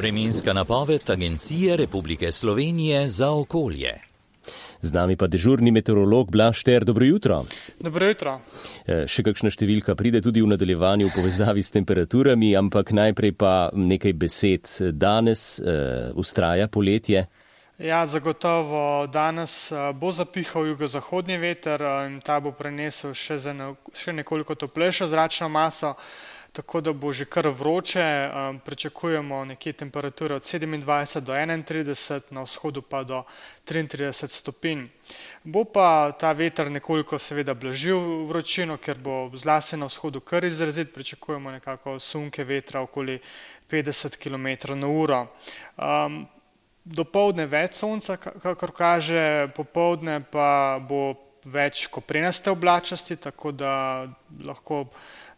Vremenska napoved Agencije Republike Slovenije za okolje. Z nami pa dežurni meteorolog Blaž Šter. Dobro jutro. Dobro jutro. Še kakšna številka pride tudi v nadaljevanju v povezavi s temperaturami, ampak najprej pa nekaj besed. Danes vztraja poletje. Ja, zagotovo danes bo zapihal jugozahodni veter in ta bo prenesel še nekoliko toplejšo zračno maso, tako da bo že kar vroče. Pričakujemo nekje temperature od 27 do 31, na vzhodu pa do 33 stopinj. Bo pa ta veter nekoliko seveda blažil vročino, ker bo zlasti na vzhodu kar izrazit. Pričakujemo nekako sunke vetra okoli 50 km/h. Dopoldne več sonca, kakor kaže, popoldne pa bo več koprenaste oblačnosti, tako da lahko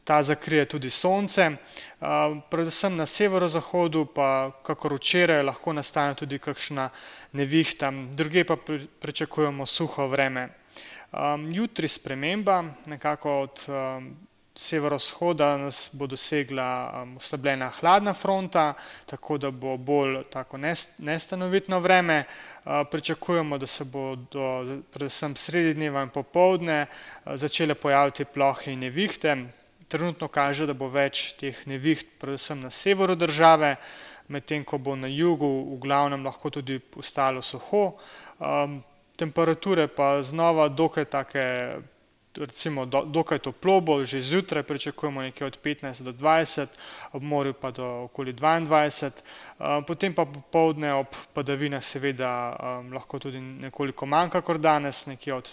ta zakrije tudi sonce. Predvsem na severozahodu pa, kakor včeraj, lahko nastane tudi kakšna nevihta, drugje pa pričakujemo suho vreme. Jutri sprememba, nekako od severovzhoda nas bo dosegla oslabljena hladna fronta, tako da bo bolj tako nestanovitno vreme. Pričakujemo, da se bodo predvsem sredi dneva in popoldne začele pojaviti plohe in nevihte. Trenutno kaže, da bo več teh neviht predvsem na severu države, medtem ko bo na jugu v glavnem lahko tudi ostalo suho. Temperature pa znova dokaj take, recimo dokaj toplo bo, že zjutraj pričakujemo nekje od 15 do 20, ob morju pa do okoli 22, potem pa popoldne ob padavinah seveda lahko tudi nekoliko manj kakor danes, nekje od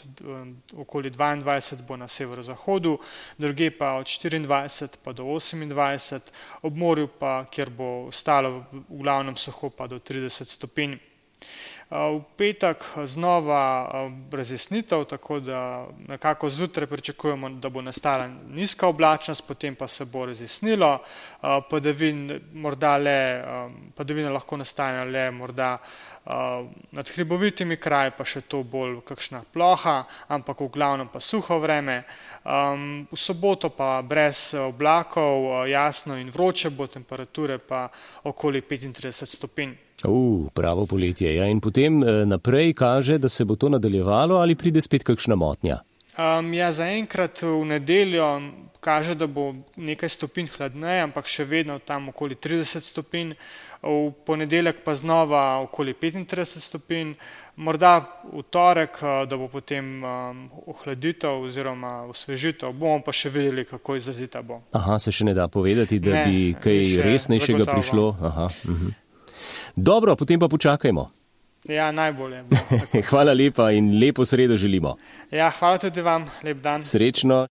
okoli 22 bo na severozahodu, drugje pa od 24 pa do 28, ob morju pa, kjer bo ostalo v glavnem suho, pa do 30 stopinj. V petek znova razjasnitev, tako da nekako zjutraj pričakujemo, da bo nastala nizka oblačnost, potem pa se bo razjasnilo. Padavine lahko nastanejo le morda nad hribovitimi kraji, pa še to bolj kakšna ploha, ampak v glavnem pa suho vreme. V soboto pa brez oblakov, jasno in vroče bo, temperature pa okoli 35 stopinj. Pravo poletje. Ja, in potem naprej kaže, da se bo to nadaljevalo ali pride spet kakšna motnja? Zaenkrat v nedeljo kaže, da bo nekaj stopinj hladneje, ampak še vedno tam okoli 30 stopinj. V ponedeljek pa znova okoli 35 stopinj. Morda v torek, da bo potem ohladitev oziroma osvežitev. Bomo pa še videli, kako izrazita bo. Se še ne da povedati, da bi kaj resnejšega prišlo? Dobro, potem pa počakajmo. Ja, najbolje. Hvala lepa in lepo sredo želimo. Ja, hvala tudi vam. Lep dan. Srečno.